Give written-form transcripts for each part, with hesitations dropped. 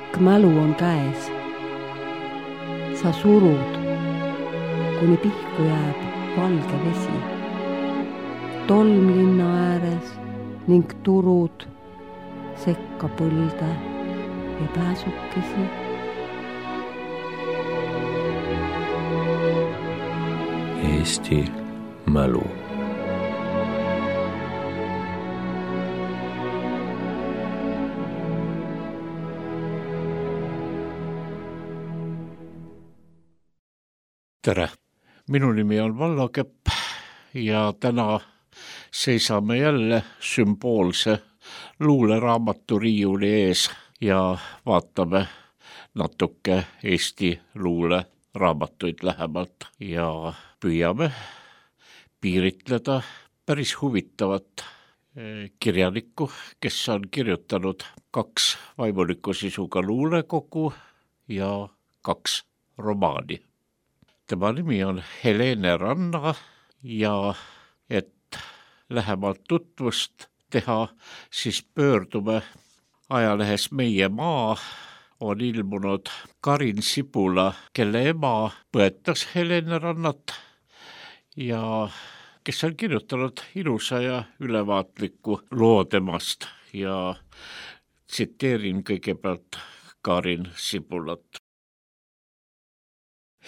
Pikk mälu on käes. Sa surud, kuni pihku jääb valge vesi. Tolm linna ääres ning turud sekka põlde ja pääsukesi. Eesti mälu. Tere! Minu nimi on Vallo Kepp ja täna seisame jälle sümboolse luuleraamatu riiuli ees ja vaatame natuke Eesti luuleraamatuid lähemalt ja püüame piiritleda päris huvitavat kirjanikku, kes on kirjutanud 2 vaimuliku sisuga luulekogu ja 2 romaani. Tema nimi on Helene Ranna ja et lähemalt tutvust teha, siis pöördume ajalehes Meie Maa on ilmunud Karin Sibula, kelle ema põetas Helene Rannat ja kes on kirjutanud ilusa ja ülevaatliku loo temast ja tsiteerin kõigepealt Karin Sibulat.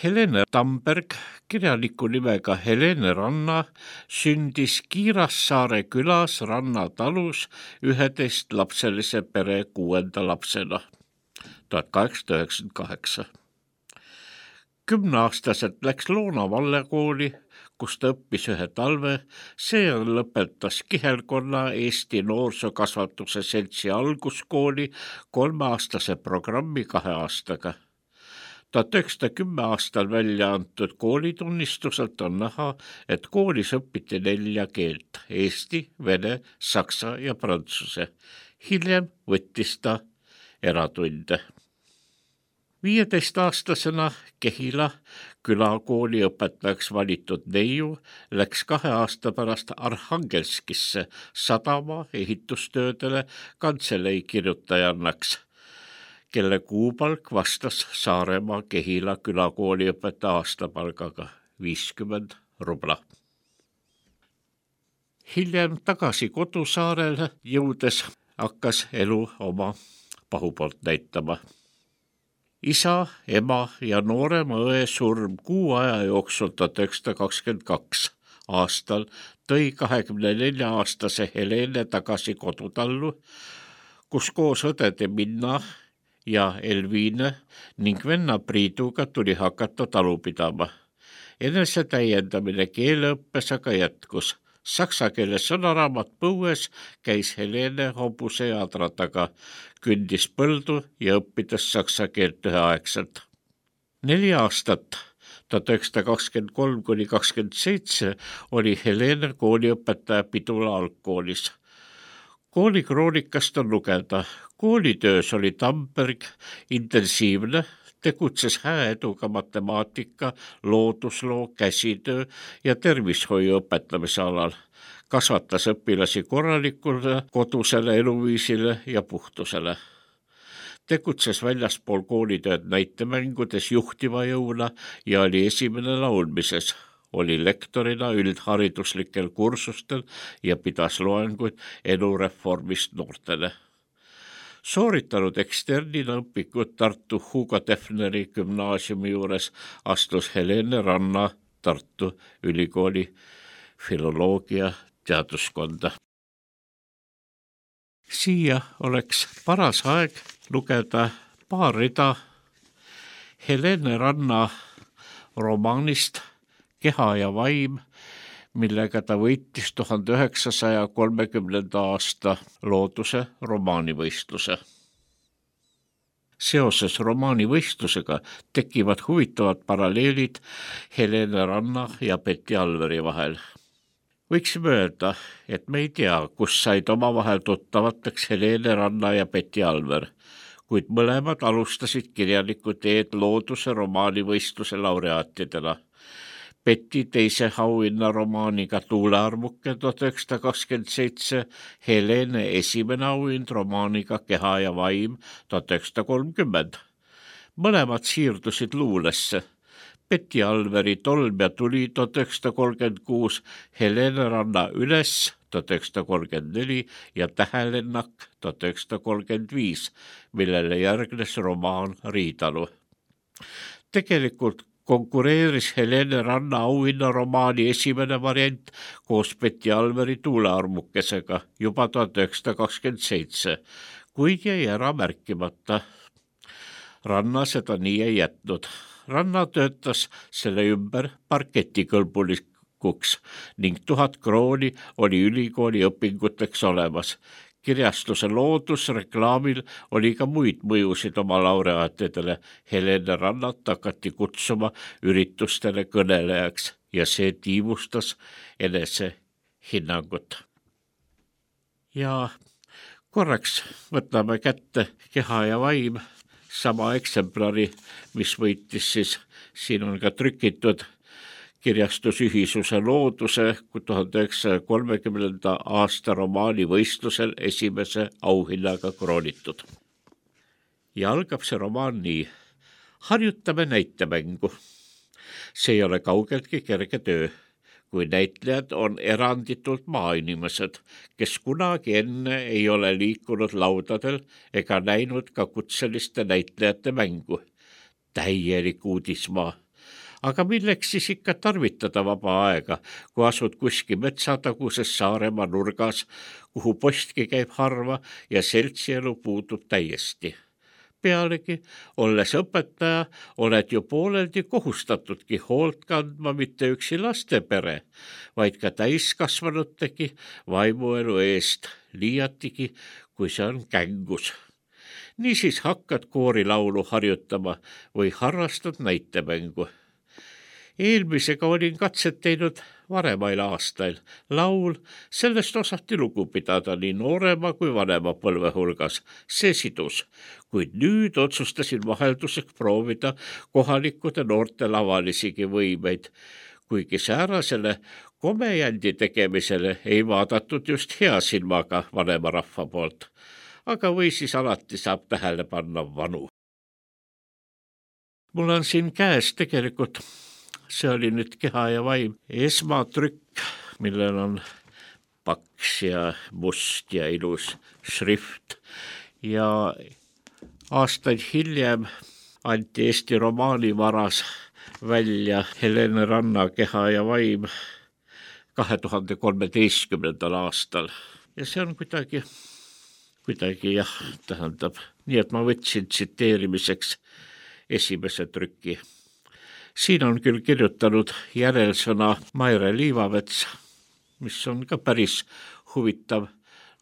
Helene Tamberg, kirjaniku nimega Helene Ranna, sündis Kiirassaare külas Ranna talus 11-lapselise pere 6. lapsena 1898. 10-aastaselt läks Loona Vallekooli, kus ta õppis 1 talve, seejärel lõpetas Kihelkonna Eesti Noorsokasvatuse Seltsi alguskooli 3-aastase programmi 2 aastaga. 1910 aastal välja antud koolitunnistuselt on näha, et koolis õpiti 4 keelt: eesti, vene, saksa ja prantsuse. Hiljem võttis ta eratunde. 15-aastasena Kehila külakooli õpetajaks valitud neiu läks 2 aasta pärast Arhangelskisse sadama ehitustöödele kantselei kirjutajannaks, kelle kuupalk vastas Saaremaa Kehila külakooli õpetaja aastapalgaga 50 rubla. Hiljem tagasi kodusaarele jõudes hakkas elu oma pahupoolt näitama. Isa, ema ja noorema õe surm 6 aja jooksul 1922 aastal tõi 24-aastase Helene tagasi kodutallu, kus koos õdede Minna ja Elviine ning venna Priiduga tuli hakata talu pidama. Enese täiendamine keeleõppes aga jätkus. Saksa keele sõnaraamat põues käis Helene hobuse jadra taga, kündis põldu ja õppides saksa keelt üheaegselt. 4 aastat 1923–27 oli Helene kooliõpetaja Pidula algkoolis. Koolikroonikast on lugeda. Koolitöös oli Tamberg intensiivne, tegutses hää eduga matemaatika, loodusloo, käsitöö ja tervishoiu õpetamise alal. Kasvatas õpilasi korralikule kodusele eluviisile ja puhtusele. Tegutses väljaspool koolitööd näitemängudes juhtiva jõuna ja oli esimene laulmises. Oli lektorina üldhariduslikel kursustel ja pidas loenguid elureformist noortele. Sooritanud eksternina õpikud Tartu Hugo Defneri gümnaasiumi juures, astus Helene Ranna Tartu Ülikooli filoloogia teaduskonda. Siia oleks paras aeg lugeda paar rida Helene Ranna romaanist Keha ja vaim, millega ta võitis 1930. aasta looduse romaanivõistluse. Seoses romaanivõistlusega tekivad huvitavad paralleelid Helene Ranna ja Betty Alveri vahel. Võiksime öelda, et me ei tea, kus said omavahel tuttavateks Helene Ranna ja Betty Alver, kuid mõlemad alustasid kirjaniku teed looduse romaanivõistluse laureaatidena. Betty teise auhinna romaaniga Tuulearmuke 1927, Helene esimene auhind romaaniga Keha ja vaim 1930. Mõlemad siirdusid luulesse. Betty Alveri Tolm ja tuli 1936, Helene Ranna Üles 1934 ja Tähelennak 1935, millele järgnes romaan Riidalu. Tegelikult konkureeris Helene Ranna auhinna romaani esimene variant koos Betty Alveri Tuulearmukesega juba 1927, kuid jäi ära märkimata. Ranna seda nii ei jätnud. Ranna töötas selle ümber parketikõlbulikuks ning 1000 krooni oli ülikooli õpinguteks olemas. Kirjastuse loodusreklaamil oli ka muid mõjusid oma laureaatidele. Helene Rannat hakati kutsuma üritustele kõnelejaks ja see tiivustas enese hinnangut. Ja korraks võtame kätte Keha ja vaim, sama eksemplari, mis võitis siis, siin on ka trükitud kirjastusühisuse looduse 1930. aasta romaanivõistlusel esimese auhinnaga kroonitud. Ja algab see romaan nii. Harjutame näitemängu. See ei ole kaugeltki kerge töö, kui näitlejad on eranditult maainimesed, kes kunagi enne ei ole liikunud laudadel ega näinud ka kutseliste näitlejate mängu. Täielik uudismaa. Aga milleks siis ikka tarvitada vaba aega, kui asud kuskil metsataguses Saaremaa nurgas, kuhu postki käib harva ja seltsielu puudub täiesti. Pealegi, olles õpetaja, oled ju pooleldi kohustatudki hoolt kandma mitte üksi lastepere, vaid ka täiskasvanutegi vaimuelu eest, liiatigi, kui see on kängus. Niisiis hakkad koorilaulu harjutama või harrastad näitemängu. Eelmisega olin katset teinud varemail aastail. Laul, sellest osati lugu pidada nii noorema kui vanema põlve hulgas. See sidus, kuid nüüd otsustasin vahelduseks proovida kohalikude noorte lavalisigi võimeid, kuigi säärasele komejändi tegemisele ei vaadatud just hea silmaga vanema rahva poolt. Aga või siis alati saab tähele panna vanu. Mul on siin käes tegelikult, see oli nüüd Keha ja vaim, esmatrükk, millel on paks ja must ja ilus šrift. Ja aastaid hiljem anti Eesti romaanivaras välja Helene Ranna Keha ja vaim 2013. aastal. Ja see on kuidagi jah, tähendab, nii et ma võtsin tsiteerimiseks esimese trüki. Siin on küll kirjutanud järelsõna Maire Liivamets, mis on ka päris huvitav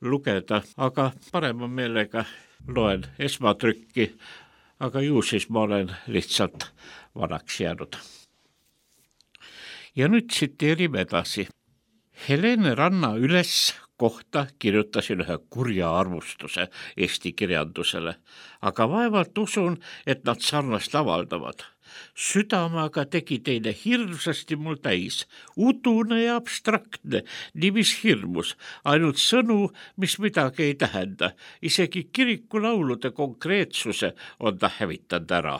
lugeda, aga parema meelega loen esmatrükki, aga ju siis ma olen lihtsalt vanaks jäänud. Ja nüüd tsiteerime edasi. Helene Ranna Üles kohta kirjutasin ühe kurja arvustuse Eesti kirjandusele, aga vaevalt usun, et nad sarnast avaldavad. Südamaga tegi teine hirmsasti mul täis, udune ja abstraktne, nii mis hirmus, ainult sõnu, mis midagi ei tähenda, isegi kirikulaulude konkreetsuse on ta hävitanud ära.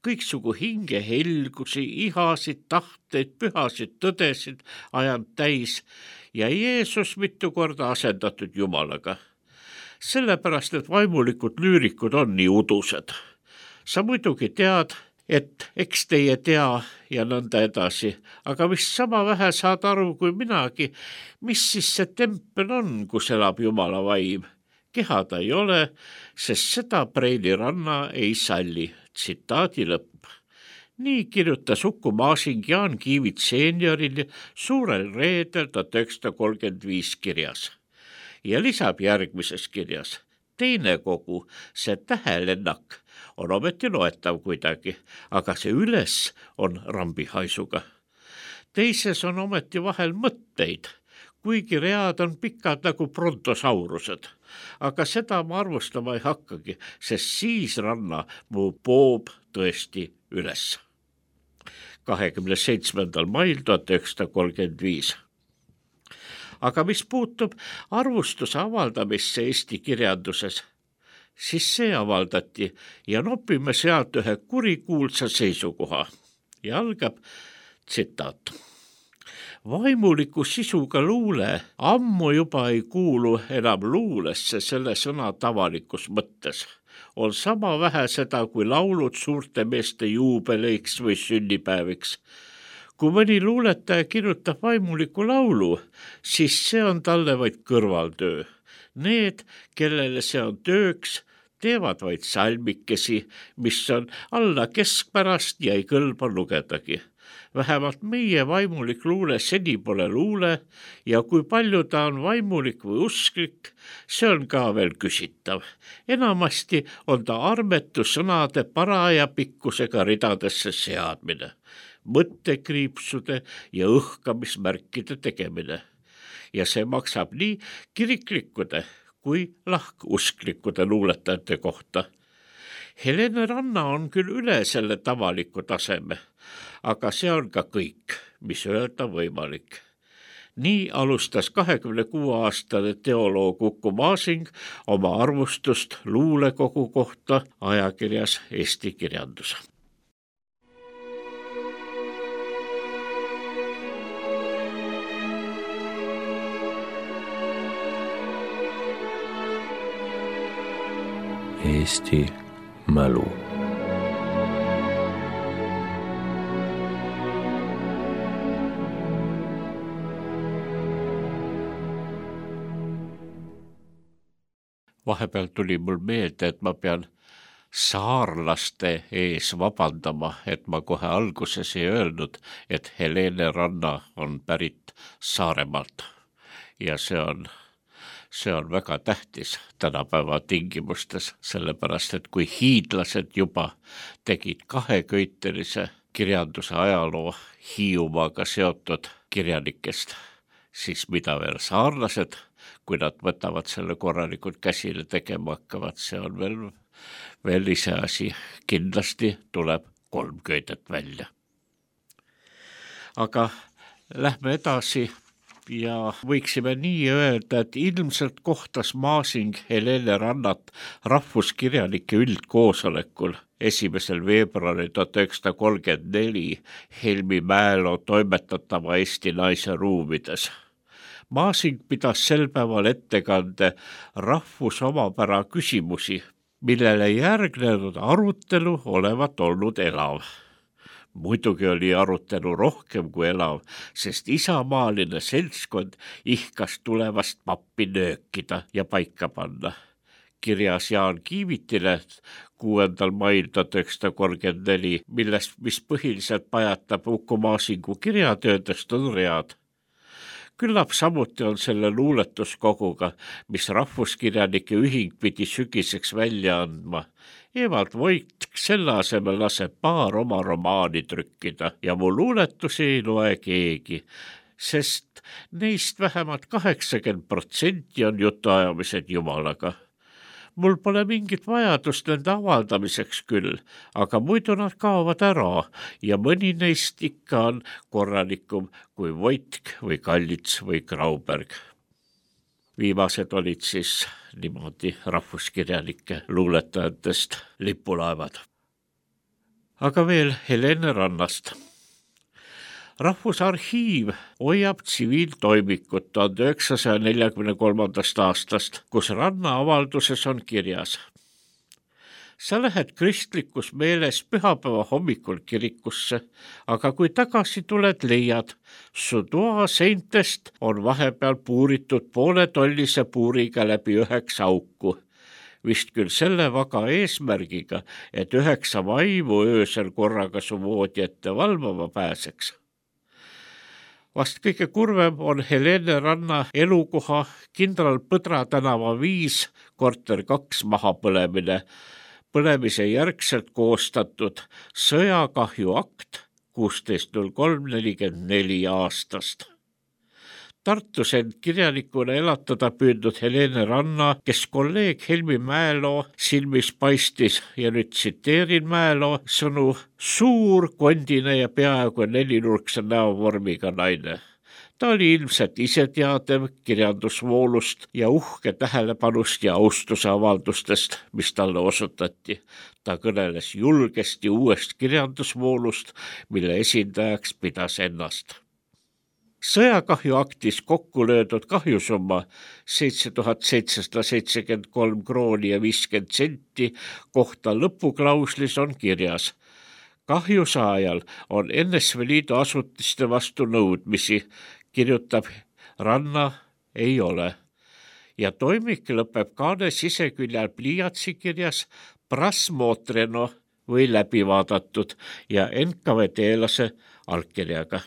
Kõiksugu hinge helgusi, ihasid, tahteid, pühasid, tõdesid ajanud täis ja Jeesus mitu korda asendatud Jumalaga. Sellepärast, et vaimulikud lüürikud on nii udused. Sa muidugi tead, et eks teie tea ja nõnda edasi, aga vist sama vähe saad aru kui minagi, mis siis see tempel on, kus elab Jumala vaim. Keha ta ei ole, sest seda Preili Ranna ei salli. Tsitaadi lõpp. Nii kirjutas Uku Masing Jaan Kiivit seeniorile Suurel reedel 1935 kirjas. Ja lisab järgmises kirjas. Teine kogu, see Tähelennak, on ometi loetav kuidagi, aga see Üles on rambihaisuga. Teises on ometi vahel mõtteid, kuigi read on pikad nagu brontosaurused, aga seda ma arvustama ei hakkagi, sest siis Ranna mu poob tõesti üles. 27. mail 1935. Aga mis puutub arvustuse avaldamisse Eesti kirjanduses, siis see avaldati ja nopime sealt ühe kurikuulsa seisukoha ja algab tsitaat. Vaimuliku sisuga luule ammu juba ei kuulu enam luulesse selle sõna tavalikus mõttes. On sama vähe seda, kui laulud suurte meeste juubeleiks või sünnipäeviks. Kui mõni luuletaja kirjutab vaimuliku laulu, siis see on talle vaid kõrvaltöö. Need, kellele see on tööks, teevad vaid salmikesi, mis on alla keskpärast ja ei kõlba lugedagi. Vähemalt meie vaimulik luule seni pole luule ja kui palju ta on vaimulik või usklik, see on ka veel küsitav. Enamasti on ta armetu sõnade paraja pikkusega ridadesse seadmine, mõttekriipsude ja õhkamismärkide tegemine. Ja see maksab nii kiriklikkude kui lahkusklikkude luuletajate kohta. Helene Ranna on küll üle selle tavaliku taseme, aga see on ka kõik, mis öelda võimalik. Nii alustas 26-aastane teoloog Uku Masing oma arvustust luulekogu kohta ajakirjas Eesti Kirjandus. Eesti mälu. Vahepeal tuli mul meelde, et ma pean saarlaste ees vabandama, et ma kohe alguses ei öelnud, et Helene Ranna on pärit Saaremaalt ja see on väga tähtis tänapäeva tingimustes, sellepärast et kui hiidlased juba tegid kaheköitelise kirjanduse ajaloo Hiiumaaga seotud kirjanikest, siis mida veel saarlased, kui nad võtavad selle korralikult käsile tegema hakkavad, see on veel ise asi. Kindlasti tuleb 3 köidet välja. Aga lähme edasi ja võiksime nii öelda, et ilmselt kohtas Masing Helene Rannat rahvuskirjanike üldkoosolekul 1. veebruari 1934 Helmi Mäelo toimetatava Eesti naise ruumides. Masing pidas sel päeval ettekande rahvusomapära küsimusi, millele järgnenud arutelu olevat olnud elav. Muidugi oli arutelu rohkem kui elav, sest isamaaline seltskond ihkas tulevast pappi nöökida ja paika panna. Kirjas Jaan Kiivitile 6. mail 1934, mis põhiliselt pajatab Uku Masingu kirjatöödest on read. Küllap samuti on selle luuletuskoguga, mis rahvuskirjanike ühing pidi sügiseks välja andma. Evald Voitk selle asemel laseb paar oma romaani trükkida ja mu luuletusi ei loe keegi, sest neist vähemalt 80% on jutuajamised Jumalaga. Mul pole mingit vajadust nende avaldamiseks küll, aga muidu nad kaovad ära ja mõni neist ikka on korralikum kui Voitk või Kallits või Grauberg. Viimased olid siis niimoodi rahvuskirjanike luuletajatest lipulaevad. Aga veel Helene Rannast. Rahvusarhiiv hoiab tsiviiltoimikut 1943. aastast, kus Ranna avalduses on kirjas. Sa lähed kristlikus meeles pühapäeva hommikul kirikusse, aga kui tagasi tuled, leiad, su toa seintest on vahepeal puuritud pooletollise puuriga läbi 9 auku. Vist küll selle vaga eesmärgiga, et 9 vaimu öösel korraga su voodi ette valvama pääseks. Vast kõige kurvem on Helene Ranna elukoha Kindral Põdra tänava 5 korter 2 mahapõlemine, põlemise järgselt koostatud sõjakahju akt 16.03.44 aastast. Tartus end kirjanikuna elatada püüdnud Helene Ranna, kes kolleeg Helmi Mäeloo silmis paistis ja nüüd tsiteerin Mäeloo sõnu, suur, kondine ja peaaegu nelinurkse näovormiga naine. Ta oli ilmselt iseteadev kirjandusvoolust ja uhke tähelepanust ja austuse avaldustest, mis talle osutati. Ta kõneles julgesti uuest kirjandusvoolust, mille esindajaks pidas ennast. Sõjakahju aktis kokku löödud kahjusumma 7773 krooni ja 50 senti kohta lõpuklauslis on kirjas. Kahjusaajal on NSV Liidu asutiste vastu nõudmisi, kirjutab Ranna, ei ole. Ja toimik lõpeb kaane siseküljel pliiatsi kirjas prasmotreno või läbivaadatud ja NKVD-lase allkirjaga.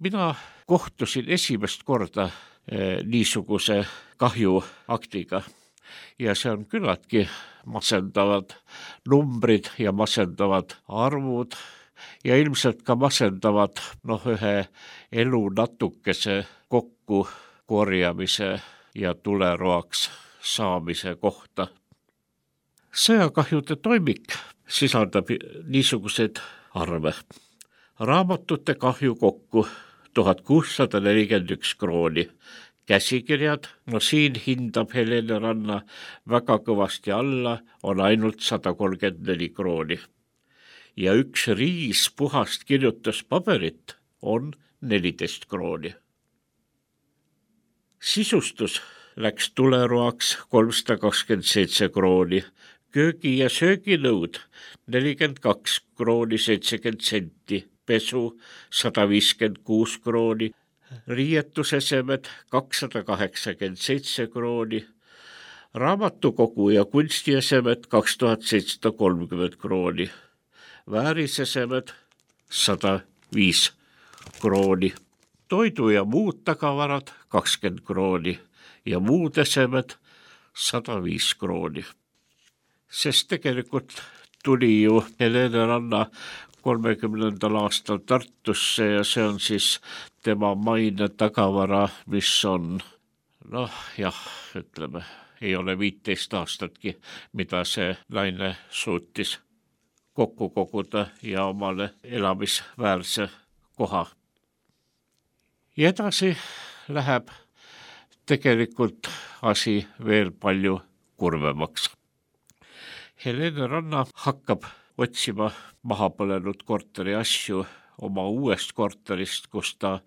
Mina kohtusin esimest korda niisuguse kahjuaktiga ja see on küllaltki masendavad numbrid ja masendavad arvud ja ilmselt ka masendavad ühe elu natukese kokku korjamise ja tuleroaks saamise kohta. Sõjakahjude toimik sisaldab niisuguseid arve. Raamatute kahju kokku 1641 krooni. Käsikirjad, siin hindab Helene Ranna väga kõvasti alla, on ainult 134 krooni. Ja üks riis puhast kirjutuspaberit on 14 krooni. Sisustus läks tuleroaks 327 krooni. Köögi- ja sööginõud 42 krooni 70 senti. Pesu 156 krooni, riietusesemed 287 krooni, raamatukogu ja kunstiesemed 2730 krooni, väärisesemed 105 krooni, toidu ja muud tagavarad 20 krooni ja muud esemed 105 krooni. Sest tegelikult tuli ju Helene Ranna 30. aastal Tartusse ja see on siis tema maine tagavara, mis on, ei ole 15 aastatki, mida see naine suutis kokku koguda ja omale elamisväärse koha. Ja edasi läheb tegelikult asi veel palju kurvemaks. Helene Ranna hakkab otsima mahapõlenud korteri asju oma uuest korterist, kus ta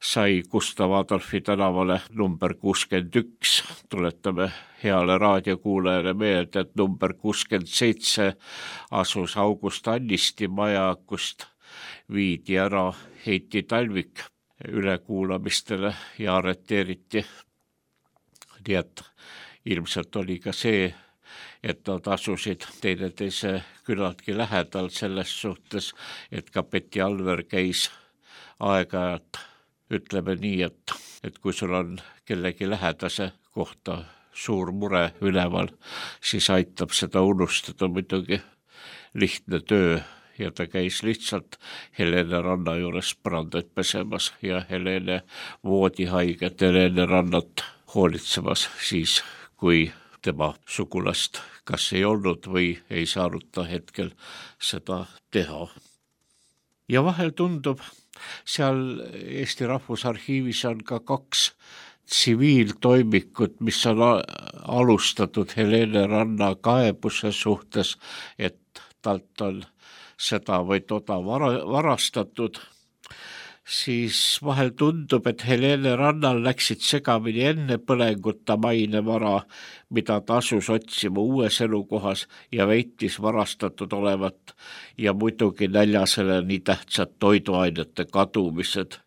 sai Gustav Adolfi tänavale number 61. Tuletame heale raadiokuulajale meelde, et number 67 asus August Annisti maja, kust viidi ära Heiti Talvik ülekuulamistele ja arreteeriti. Nii et ilmselt oli ka see, et nad asusid teineteise küllaltki lähedal selles suhtes, et ka Betty Alver käis aeg-ajalt, ütleme nii, et kui sul on kellegi lähedase kohta suur mure üleval, siis aitab seda unustada muidugi lihtne töö ja ta käis lihtsalt Helene Ranna juures põrandaid pesemas ja Helene voodihaiget Helene Rannat hoolitsemas siis, kui tema sugulast kas ei olnud või ei saanud ta hetkel seda teha. Ja vahel tundub, seal Eesti Rahvusarhiivis on ka 2 tsiviiltoimikut, mis on alustatud Helene Ranna kaebuse suhtes, et talt on seda või toda varastatud. Siis vahel tundub, et Helene Rannal läksid segamini enne põlenguta mainevara, mida ta asus otsima uues elukohas ja väitis varastatud olevat ja muidugi näljasele nii tähtsad toiduainete kadumised.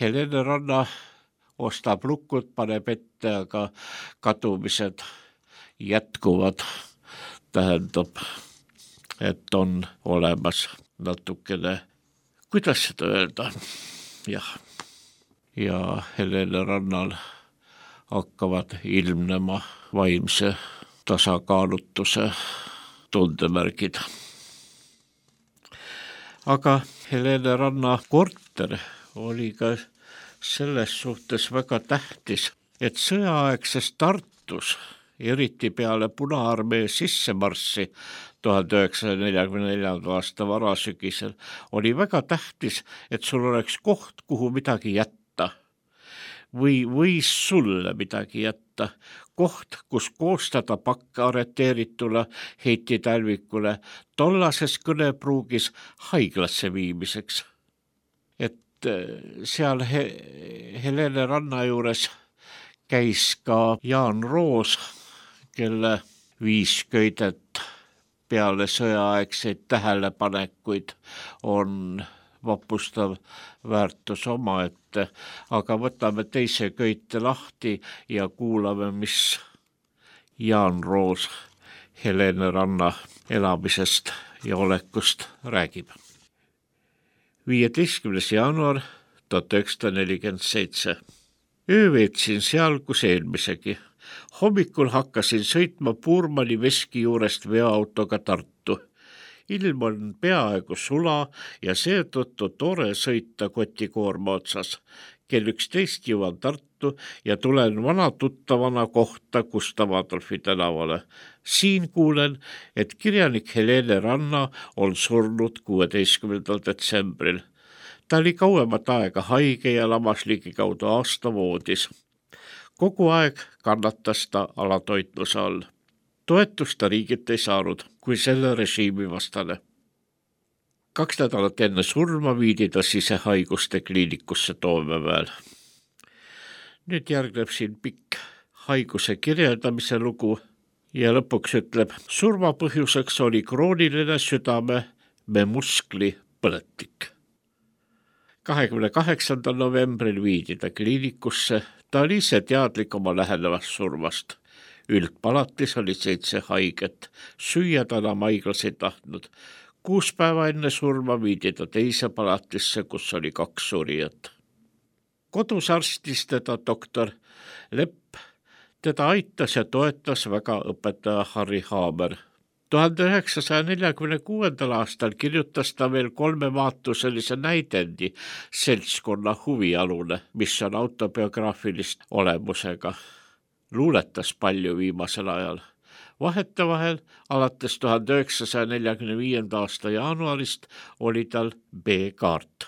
Helene Ranna ostab lukud, paneb ette, aga kadumised jätkuvad. Tähendab, et on olemas natukene, kuidas seda öelda? Jah. Ja Helene Rannal hakkavad ilmnema vaimse tasakaalutuse tundemärgid. Aga Helene Ranna korter oli ka selles suhtes väga tähtis, et sõjaaegses Tartus, eriti peale Punaarmee sissemarssi 1944. aasta varasügisel, oli väga tähtis, et sul oleks koht, kuhu midagi jätta või võis sulle midagi jätta. Koht, kus koostada pakk arreteeritule Heiti Talvikule tollases kõnepruugis haiglasse viimiseks. Et seal Helene Ranna juures käis ka Jaan Roos, kelle 5 köidet peale sõjaaegseid tähelepanekuid on vapustav väärtus omaette, aga võtame teise köite lahti ja kuulame, mis Jaan Roos Helene Ranna elamisest ja olekust räägib. 15. jaanuar 1947. Öö veetsin seal, kus eelmisegi. Hommikul hakkasin sõitma Puurmani veski juurest veoautoga Tartu. Ilm on peaaegu sula ja seetõttu tore sõita kotikoorma otsas. Kell 11 jõuan Tartu ja tulen vana tuttavana kohta Gustav Adolfi tänavale. Siin kuulen, et kirjanik Helene Ranna on surnud 16. detsembril. Ta oli kauemat aega haige ja lamas ligikaudu aasta voodis. Kogu aeg kannatas ta alatoitluse all. Toetust ta riigilt ei saanud, kui selle režiimi vastane. 2 nädalat enne surma viidi ta sisehaiguste kliinikusse Toomemäel. Nüüd järgneb siin pikk haiguse kirjeldamise lugu ja lõpuks ütleb, surma põhjuseks oli krooniline südame muskli põletik. 28. novembril viidi ta kliinikusse, ta oli ise teadlik oma lähenevast surmast. Üldpalatis oli 7 haiget, süüa ta enam haiglas ei tahtnud. 6 päeva enne surma viidi ta teise palatisse, kus oli 2 surijat. Kodus arstis teda doktor Lepp, teda aitas ja toetas väga õpetaja Harri Haamer. 1946. aastal kirjutas ta veel 3 vaatuselise näidendi Seltskonna huvialune, mis on autobiograafilist olemusega. Luuletas palju viimasel ajal. Vahetevahel alates 1945. aasta jaanuarist oli tal B-kaart.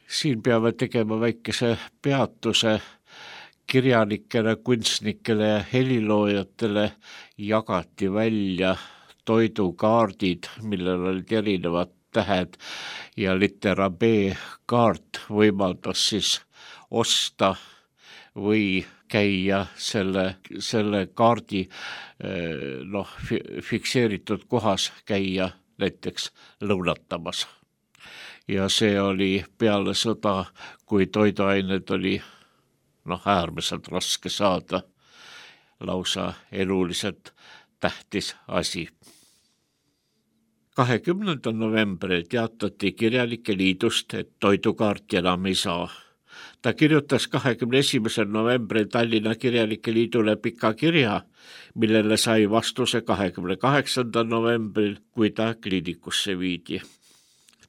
Siin peame tegema väikese peatuse. Kirjanikele, kunstnikele ja heliloojatele jagati välja toidukaardid, millel olid erinevad tähed ja litera B-kaart võimaldas siis osta või käia selle kaardi fikseeritud kohas käia näiteks lõunatamas. Ja see oli peale sõda, kui toiduained oli äärmiselt raske saada, lausa eluliselt tähtis asi. 20. novembril teatati Kirjanike Liidust, et toidukaarti enam ei saa. Ta kirjutas 21. novembril Tallinna Kirjanike Liidule pika kirja, millele sai vastuse 28. novembril, kui ta kliinikusse viidi.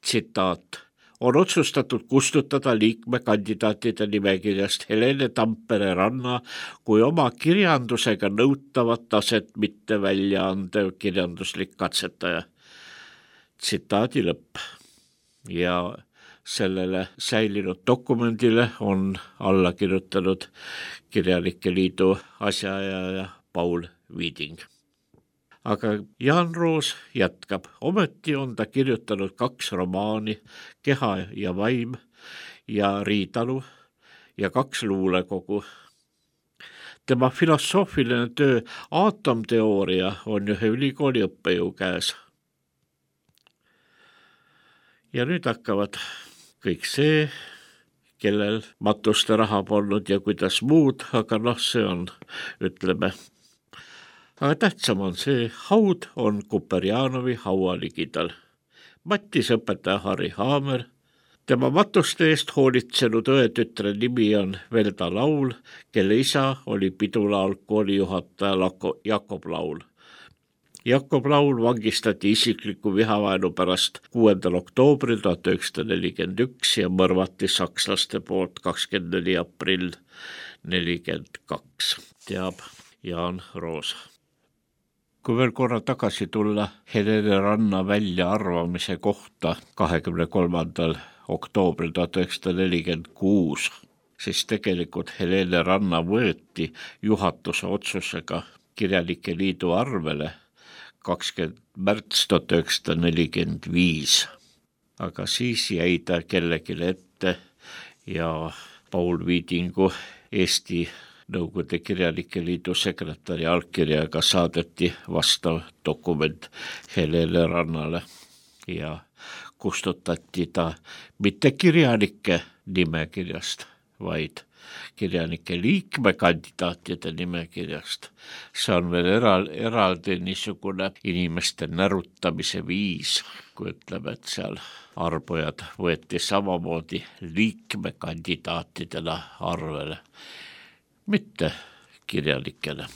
Tsitaat. On otsustatud kustutada liikmekandidaatide nimekirjast Helene Tampere Ranna kui oma kirjandusega nõutavat taset mitte välja andev kirjanduslik katsetaja. Tsitaadi lõpp. Ja sellele säilinud dokumendile on alla kirjutanud Kirjanike Liidu asjaajaja Paul Viiding. Aga Jaan Roos jätkab, ometi on ta kirjutanud 2 romaani, Keha ja vaim ja Riitalu ja 2 luulekogu. Tema filosoofiline töö aatomteooria on ühe ülikooli õppejõu käes. Ja nüüd hakkavad kõik see, kellel matuste raha polnud ja kuidas muud, aga see on, ütleme. Aga tähtsam on see, haud on Kuperjanovi haua ligidal. Mattis õpetaja Harri Haamer, tema matuste eest hoolitsenud õetütre nimi on Velda Laul, kelle isa oli pidulaul koolijuhataja Jakob Laul. Jakob Laul vangistati isikliku vihavaenu pärast 6. oktoobril 1941 ja mõrvati sakslaste poolt 24. aprill 1942, teab Jaan Roosa. Kui veel korra tagasi tulla Helene Ranna väljaarvamise kohta 23. oktoobril 1946, siis tegelikult Helene Ranna võeti juhatuse otsusega Kirjanike Liidu arvele 20. märts 1945, aga siis jäi ta kellelegi ette ja Paul Viidingu Eesti Nõukogude Kirjanike Liidu sekretäri allkirjaga saadeti vastav dokument Helene Rannale ja kustutati ta mitte kirjanike nimekirjast, vaid kirjanike liikmekandidaatide nimekirjast. See on veel eraldi niisugune inimeste närutamise viis, kui ütleme, et seal arvujad võeti samamoodi liikmekandidaatidena arvele, mitte kirjanikele.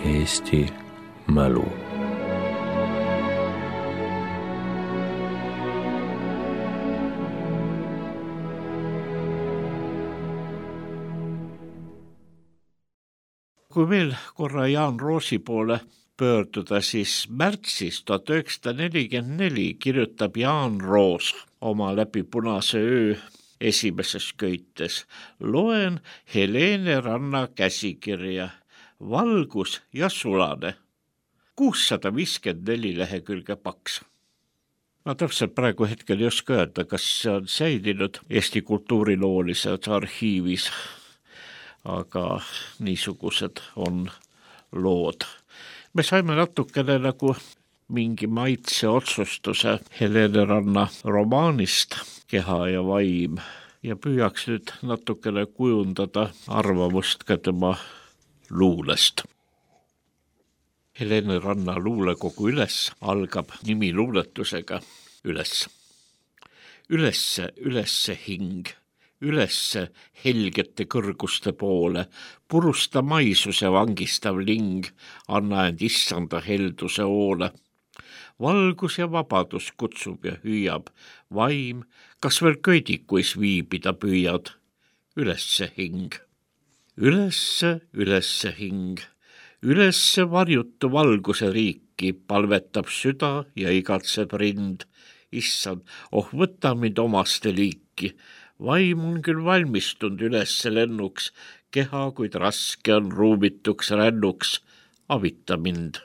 Eesti mälu. Kui veel korra Jaan Roosi poole pöörduda, siis märtsis 1944 kirjutab Jaan Roos oma Läbi punase öö esimeses köites: loen Helene Ranna käsikirja, valgus ja sulane, 654 lehekülge paks. Ma täpselt praegu hetkel ei oska öelda, kas see on säilinud Eesti kultuuriloolises arhiivis, aga niisugused on lood. Me saime natukene nagu mingi maitse otsustuse Helene Ranna romaanist Keha ja vaim ja püüaks nüüd natukene kujundada arvamust ka tema luulest. Helene Ranna luulekogu Üles algab nimiluuletusega Üles. Ülesse hing, ülesse helgete kõrguste poole, purusta maisuse vangistav ling, anna end issanda helduse hoole. Valgus ja vabadus kutsub ja hüüab, vaim, kas veel köidikuis viibida püüad? Ülesse hing. Ülesse hing, ülesse varjutu valguse riiki palvetab süda ja igatseb rind. Issand, võta mind omaste liiki. Vaim on küll valmistunud ülesse lennuks, keha, kuid raske on ruumituks rännuks, avita mind.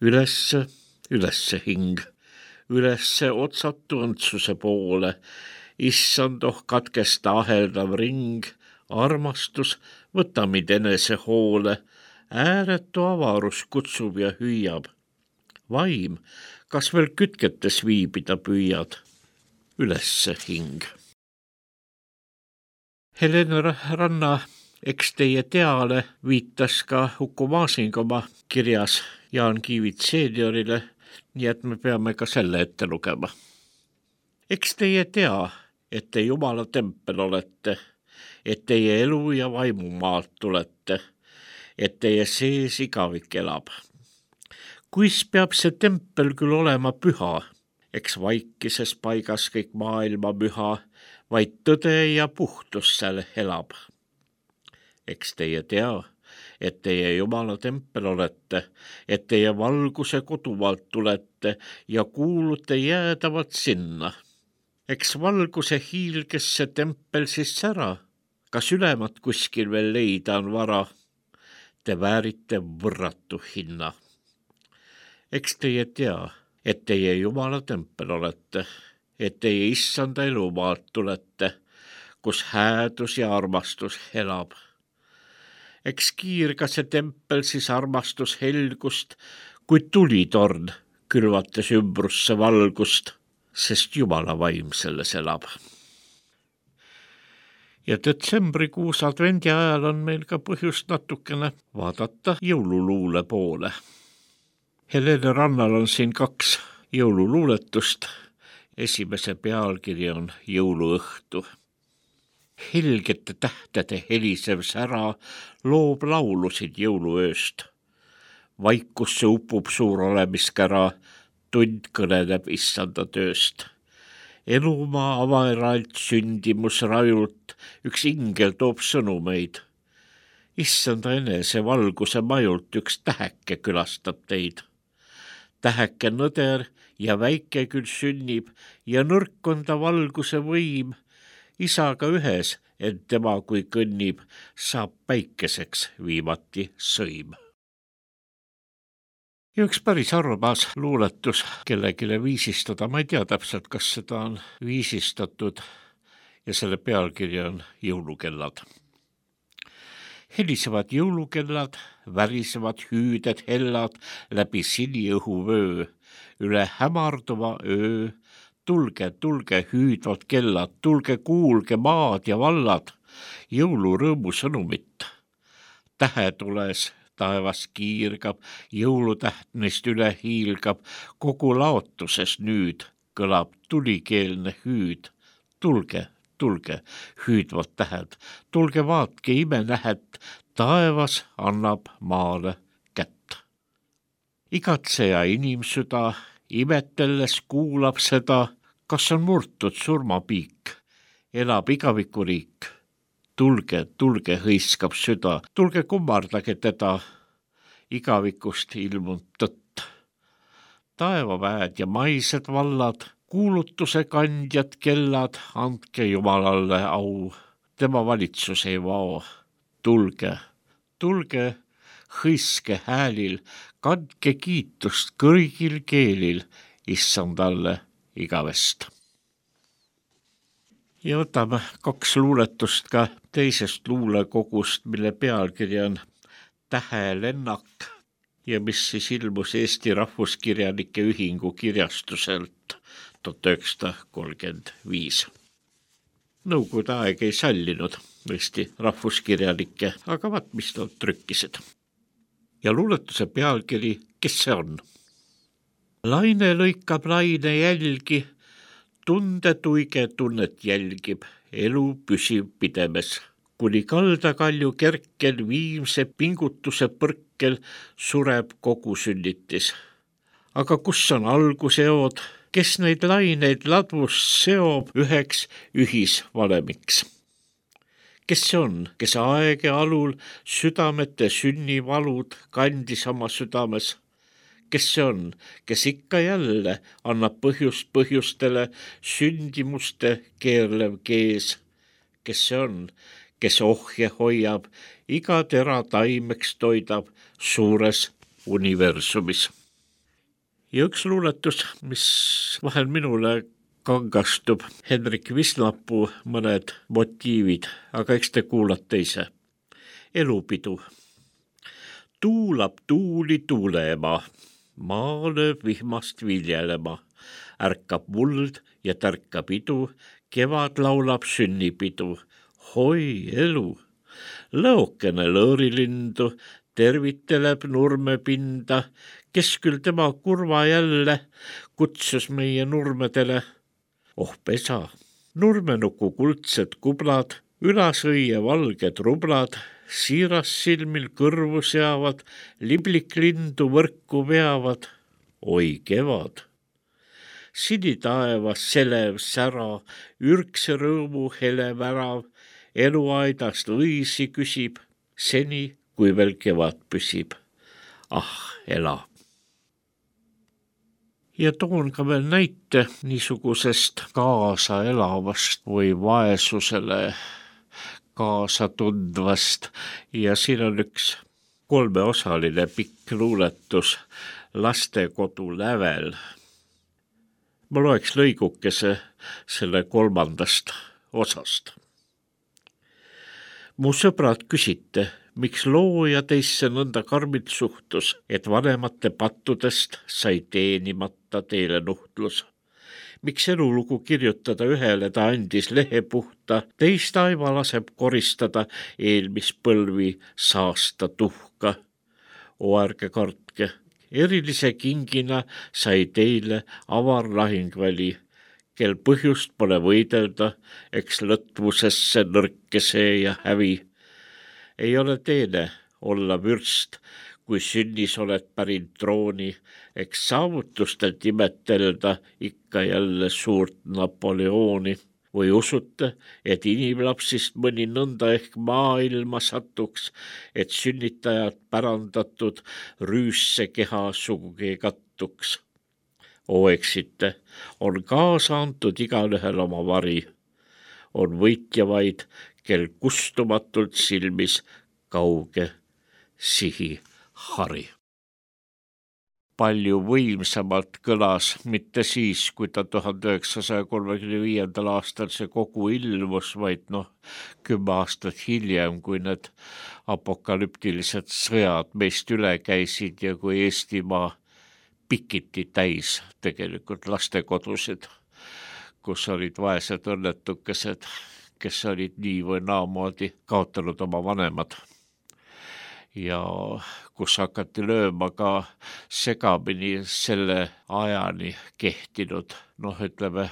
Ülesse hing, ülesse otsatu õndsuse poole, issand, katkesta aheldav ring, armastus, võta mind enese hoole, ääretu avarus kutsub ja hüüab. Vaim, kas veel kütketes viibida püüad? Ülesse hing. Helene Ranna eks teie teale viitas ka Uku Masing oma kirjas Jaan Kiivit seeniorile, nii et me peame ka selle ette lugema. Eks teie tea, et te Jumala tempel olete, et teie elu ja vaimu maalt tulete, et teie sees igavik elab. Kuis peab see tempel küll olema püha, eks vaikises paigas kõik maailma müha, vaid tõde ja puhtus seal elab. Eks teie tea, et teie Jumala tempel olete, et teie valguse kodumaalt tulete ja kuulute jäädavat sinna. Eks valguse hiilges see tempel siis sära, kas ülemat kuskil veel leida on vara, te väärite võrratu hinna. Eks teie tea, et teie Jumala tempel olete, et teie issanda elumaalt tulete, kus häädus ja armastus elab. Eks kiirga see tempel siis armastus helgust, kui tulitorn külvates ümbrusse valgust, sest Jumala vaim selles elab. Ja detsembrikuus advendi ajal on meil ka põhjust natukene vaadata jõululuule poole. Helene Rannal on siin 2 jõululuuletust. Esimese pealkiri on Jõuluõhtu. Helgete tähtede helisev sära loob laulusid jõuluööst. Vaikusse upub suur olemiskära, tund kõneleb issanda tööst. Elumaa avaeralt sündimus rajult, üks ingel toob sõnumeid. Issanda enese valguse majult üks täheke külastab teid. Täheke nõder ja väike küll sünnib ja nõrk on ta valguse võim. Isaga ühes, ent tema kui kõnnib, saab päikeseks viimati sõim. Ja üks päris armas luuletus kellegile viisistada, ma ei tea täpselt, kas seda on viisistatud ja selle pealkiri on Jõulukellad. Helisevad jõulukellad, värisevad hüüded hellad läbi siniõhuvöö, üle hämarduva öö. Tulge hüüdvad kellad, tulge kuulge maad ja vallad, jõulurõõmu sõnumit. Tähetules taevas kiirgab, jõulutäht neist üle hiilgab, kogu laotuses nüüd kõlab tulikeelne hüüd. Tulge, hüüdvad tähed, tulge vaatke imenähet, taevas annab maale kätt. Igatseja inimsüda imetelles kuulab seda, kas on murtud surmapiik, elab igavikuriik. Tulge, tulge, hõiskab süda, tulge kummardage teda, igavikust ilmunud tõtt. Taevaväed ja maised vallad, kuulutuse kandjad kellad, andke Jumalalle au, tema valitsus ei vao. Tulge, tulge, hõiske häälil, kandke kiitust kõigil keelil, issandalle igavest. Ja võtame 2 luuletust ka teisest luulekogust, mille pealkiri on Tähelennak ja mis siis ilmus Eesti Rahvuskirjanike Ühingu kirjastuselt 1935. Nõukogude aeg ei sallinud Eesti rahvuskirjanikke, aga vaat mis nad trükkisid. Ja luuletuse pealkiri, kes see on? Laine lõikab laine jälgi, tundetuige tunnet jälgib, elu püsib pidemes. Kuni kaldakalju kerkel viimse pingutuse põrkel sureb kogu sünnitis. Aga kus on alguseod, kes neid laineid ladvust seob üheks ühisvalemiks? Kes see on, kes aege alul südamete sünnivalud kandis oma südames? Kes see on, kes ikka jälle annab põhjust põhjustele sündimuste keerlev kees? Kes see on, kes ohje hoiab, iga tera taimeks toidab suures universumis? Ja üks luuletus, mis vahel minule kangastub, Henrik Visnapuu mõned motiivid, aga eks te kuulate ise. Elupidu. Tuulab tuuli tuuleema, maa lööb vihmast viljelema, ärkab muld ja tärkab idu, kevad laulab sünnipidu. Hoi elu, lõokene lõõrilindu, terviteleb nurmepinda, kes küll tema kurva jälle kutsus meie nurmedele. Oh pesa, nurmenuku kuldsed kublad, ülasõie valged rublad, siiras silmil kõrvu seavad, libliklindu võrku veavad. Oi kevad, sinitaevas selev sära, ürgse rõõmu hele värav, eluaidast õisi küsib, seni kui veel kevad püsib. Ah, ela. Ja toon ka veel näite niisugusest kaasa elavast või vaesusele kaasa tundvast ja siin on üks 3-osaline pikk luuletus Lastekodu lävel. Ma loeks lõigukese selle 3. osast. Mu sõbrad küsite, miks looja teisse nõnda karmilt suhtus, et vanemate pattudest sai teenimata teile nuhtlus. Miks elulugu kirjutada ühele ta andis lehe puhta, teist aiva laseb koristada eelmispõlvi saasta tuhka. O ärge kartke, erilise kingina sai teile avar lahingväli, kel põhjust pole võidelda, eks lõtvusesse nõrkese ja hävi. Ei ole teene olla vürst, kui sünnis oled pärinud trooni, eks saavutustelt imetelda ikka jälle suurt Napoleoni. Või usute, et inimlapsist mõni nõnda ehk maailma satuks, et sünnitajad pärandatud rüüsse keha sugugi kattuks. O eksite, on kaasa antud igalühel oma vari. On võitja vaid, kel kustumatult silmis kauge sihi hari. Palju võimsamalt kõlas, mitte siis, kui ta 1935. aastal see kogu ilmus, vaid 10 aastat hiljem, kui need apokalüptilised sõjad meist üle käisid ja kui Eestimaa pikiti täis tegelikult lastekodusid, kus olid vaesed õnnetukesed, kes olid nii või naamoodi kaotanud oma vanemad. Ja kus hakati lööma ka segamini selle ajani kehtinud, ütleme,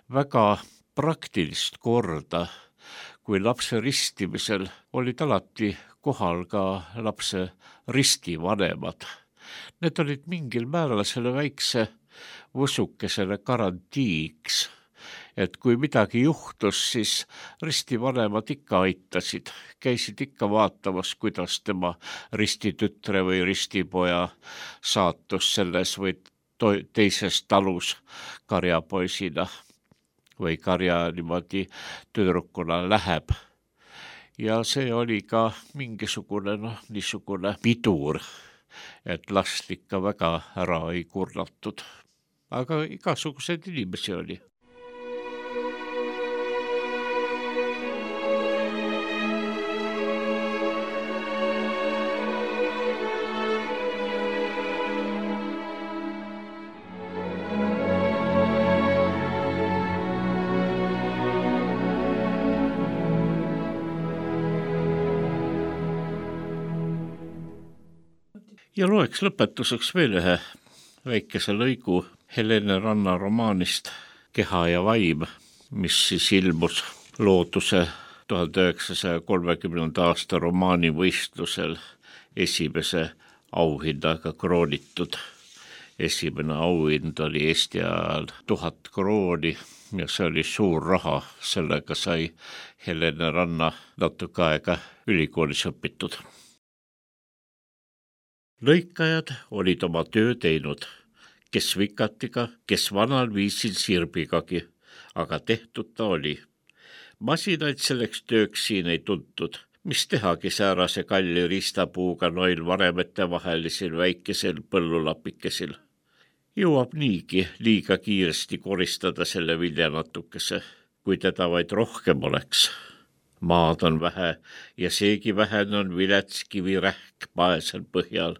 väga praktilist korda, kui lapse ristimisel olid alati kohal ka lapse ristivanemad. Need olid mingil määral selle väikse võsukesele garantiiks, et kui midagi juhtus, siis ristivanemad ikka aitasid, käisid ikka vaatamas, kuidas tema ristitütre või ristipoja saatus selles või teises talus karjapoisina või karja niimoodi tüdrukuna läheb. Ja see oli ka mingisugune niisugune pidur, et last ikka väga ära ei kurnatud. Aga igasuguseid inimesi oli. Ja loeks lõpetuseks veel ühe väikese lõigu Helene Ranna romaanist Keha ja vaim, mis siis ilmus Looduse 1930. aasta romaanivõistlusel esimese auhindaga kroonitud. Esimene auhind oli Eesti ajal 1000 krooni ja see oli suur raha, sellega sai Helene Ranna natuke aega ülikoolis õpitud. Lõikajad olid oma töö teinud, kes vikatiga, kes vanal viisil sirbigagi, aga tehtud ta oli. Masinaid selleks tööks siin ei tuntud, mis tehagi säärase kalli riistapuuga noil varemete vahelisel väikesel põllulapikesil. Jõuab niigi liiga kiiresti koristada selle viljanatukese, kui teda vaid rohkem oleks. Maad on vähe ja seegi vähene on viletskivirähk paesel põhjal.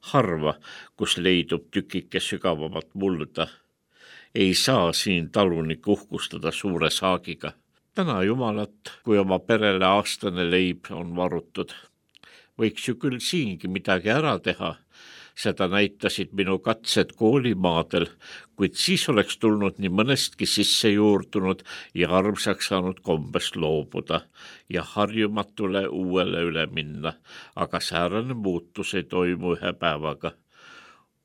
Harva, kus leidub tükike sügavamat mulda. Ei saa siin talunik uhkustada suure saagiga. Täna jumalat, kui oma perele aastane leib on varutud. Võiks ju küll siingi midagi ära teha. Seda näitasid minu katsed koolimaadel, kuid siis oleks tulnud nii mõnestki sisse juurdunud ja armsaks saanud kombest loobuda ja harjumatule uuele üle minna, aga säärane muutus ei toimu ühe päevaga.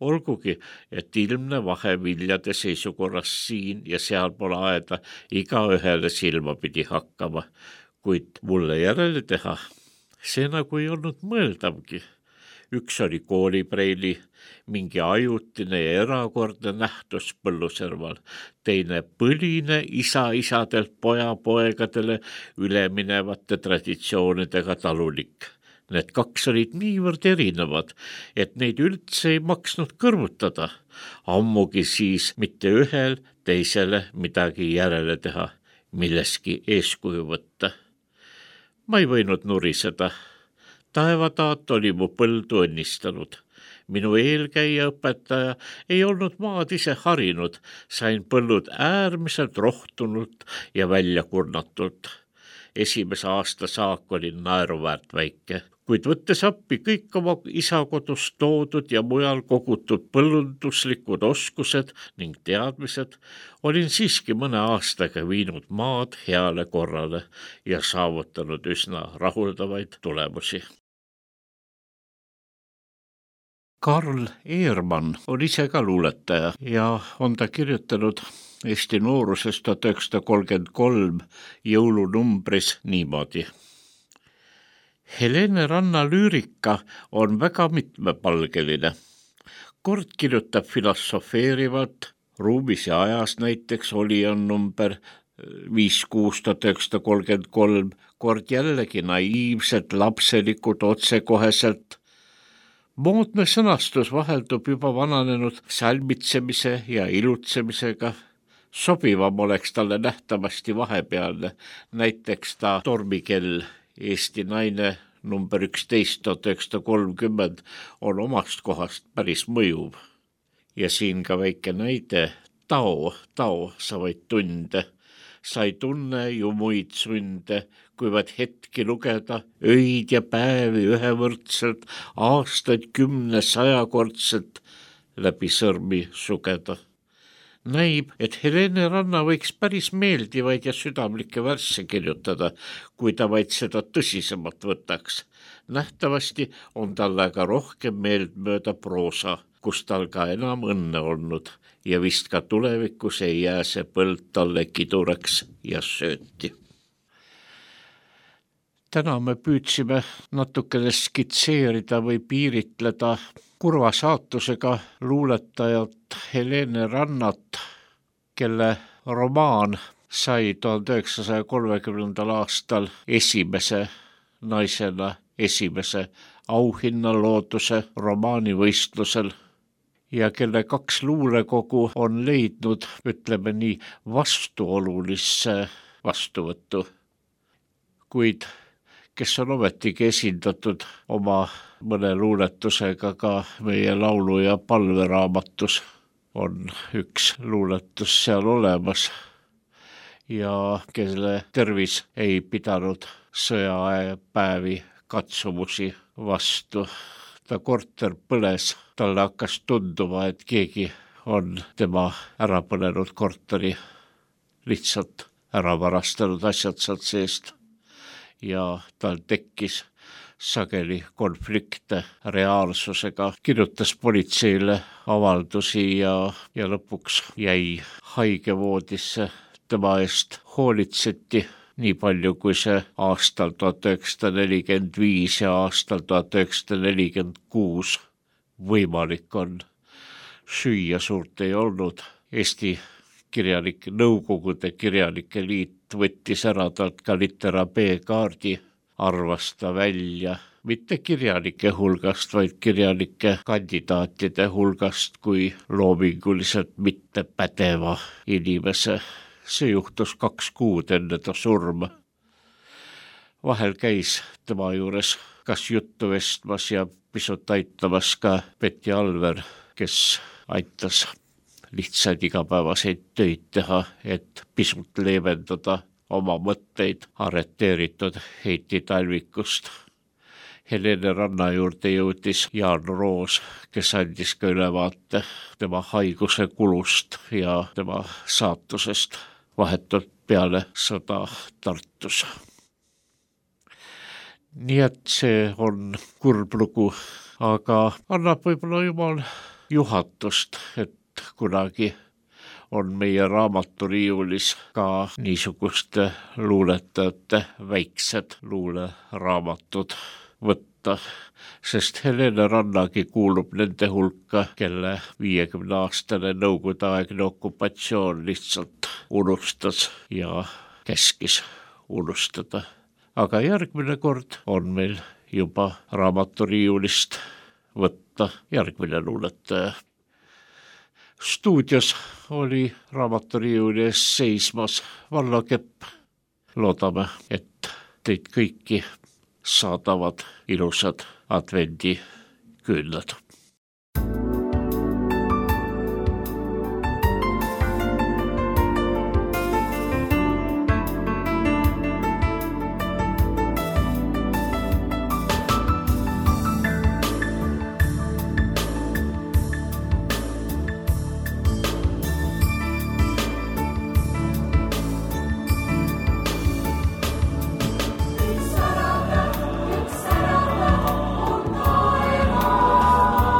Olgugi, et ilmne vahe viljade seisukorras siin ja seal pole aeda iga ühele silma pidi hakkama, kuid mulle järele teha, see nagu ei olnud mõeldavgi. Üks oli koolipreili, mingi ajutine ja erakordne nähtus põlluserval, teine põline isa-isadelt poja-poegadele üleminevate traditsioonidega talulik. Need kaks olid niivõrd erinevad, et neid üldse ei maksnud kõrvutada, ammugi siis mitte ühel teisele midagi järele teha, milleski eeskuju võtta. Ma ei võinud nuriseda. Taevataat oli mu põldu õnnistanud. Minu eelkäija õpetaja ei olnud maad ise harinud, sain põllud äärmiselt rohtunult ja välja kurnatult. Esimese aasta saak oli naeruväärt väike, kuid võttes appi kõik oma isa kodust toodud ja mujal kogutud põllunduslikud oskused ning teadmised, olin siiski mõne aastaga viinud maad heale korrale ja saavutanud üsna rahuldavaid tulemusi. Karl Eermann on ise ka luuletaja ja on ta kirjutanud Eesti noorusest 1933 jõulunumbris niimoodi. Helene Ranna lüürika on väga mitmepalgeline. Kord kirjutab filosofeerivalt, ruumis ja ajas näiteks oli on number 5-6-1933, kord jällegi naiivselt, lapselikult, otsekoheselt. Moodne sõnastus vaheldub juba vananenud salmitsemise ja ilutsemisega. Sobivam oleks talle nähtavasti vahepealne, näiteks ta tormikell Eesti naine number 11-1930 on omast kohast päris mõjuv. Ja siin ka väike näide, tao, sa vaid tunde. Sa ei tunne ju muid sunde, kui vaid hetki lugeda, öid ja päevi ühevõrdselt, aastaid 10-100-kordselt läbi sõrmi sugeda. näib, et Helene Ranna võiks päris meeldivaid ja südamlikke värsse kirjutada, kui ta vaid seda tõsisemalt võtaks. Nähtavasti on tal aga rohkem meeltmööda proosa, kus tal ka enam õnne olnud ja vist ka tulevikus ei jää see põld talle kiduraks ja sööti. Täna me püüdsime natukene skitseerida või piiritleda kurva saatusega luuletajat Helene Rannat, kelle romaan sai 1930. aastal esimese naisena esimese auhinna Looduse romaanivõistlusel ja kelle 2 luulekogu on leidnud, ütleme nii, vastuolulisse vastuvõttu, kuid kes on ometigi esindatud oma mõne luuletusega ka meie laulu- ja palveraamatus, on üks luuletus seal olemas ja kelle tervis ei pidanud sõjapäevi katsumusi vastu. Ta korter põles, talle hakkas tunduma, et keegi on tema ära põlenud korteri lihtsalt ära varastanud asjad sealt seest. Ja tal tekkis sageli konflikte reaalsusega, kirjutas politseile avaldusi ja lõpuks jäi haigevoodisse. Tema eest hoolitseti nii palju, kui see aastal 1945 ja aastal 1946 võimalik on. Süüa suurt ei olnud. Eesti kirjanike, Nõukogude Kirjanike Liit võttis ära talt ka litera B-kaardi, arvas ta välja mitte kirjanike hulgast, vaid kirjanike kandidaatide hulgast kui loominguliselt mitte pädeva inimese. See juhtus 2 kuud enne ta surma. Vahel käis tema juures kas juttu vestmas ja pisut aitamas ka Peti Alver, kes aitas lihtsaid igapäevaseid töid teha, et pisut leevendada oma mõtteid arreteeritud Heiti Talvikust. Helene Ranna juurde jõudis Jaan Roos, kes andis ka ülevaate tema haiguse kulust ja tema saatusest vahetult peale sõda Tartus. Nii et see on kurb lugu, aga annab võib-olla jumal juhatust, et kunagi on meie raamaturiiulis ka niisuguste luuletajate väiksed luuleraamatud võtta, sest Helene Rannagi kuulub nende hulka, kelle 50-aastane nõukogudeaegne okupatsioon lihtsalt unustas ja käskis unustada. Aga järgmine kord on meil juba raamaturiiulist võtta järgmine luuletaja. Stuudios oli raamaturiiuli ees seismas Vallo Kepp. Loodame, et teid kõiki saadavad ilusad advendiküünlad. Sarada, on taeva.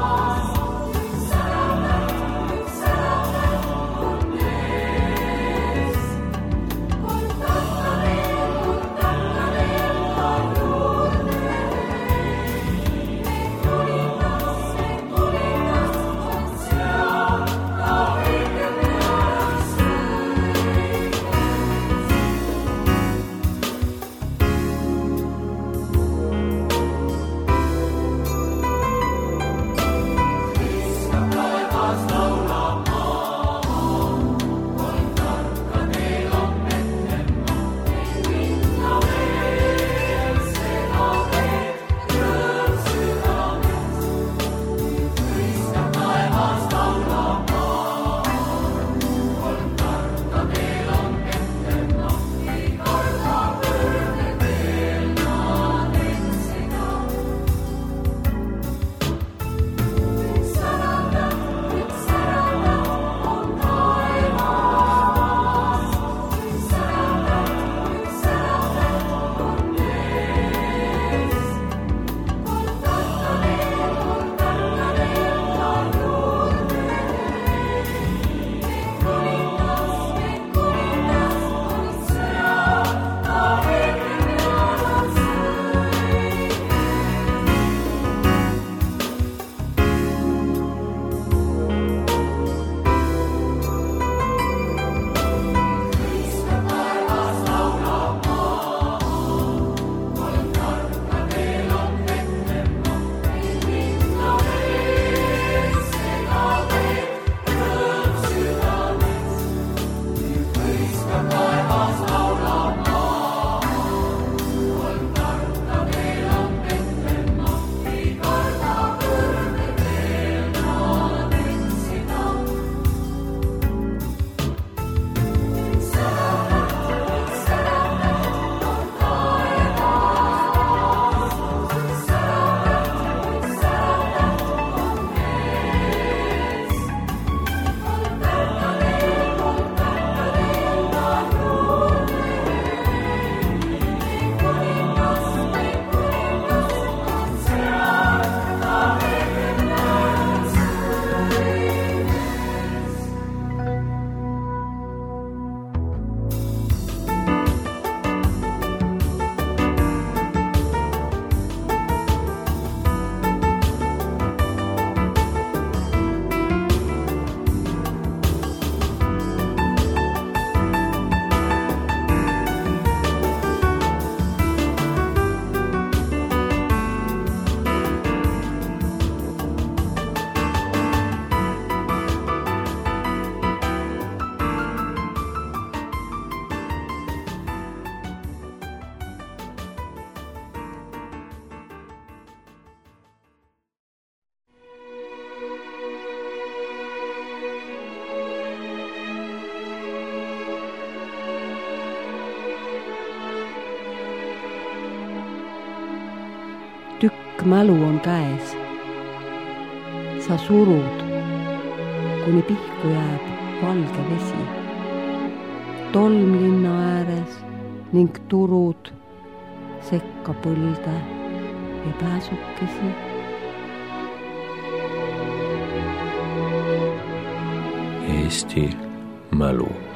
pikk mälu on käes. Sa surud, kuni pihku jääb valge vesi. Tolm linna ääres ning turud sekka põlde ja pääsukesi. Eesti mälu.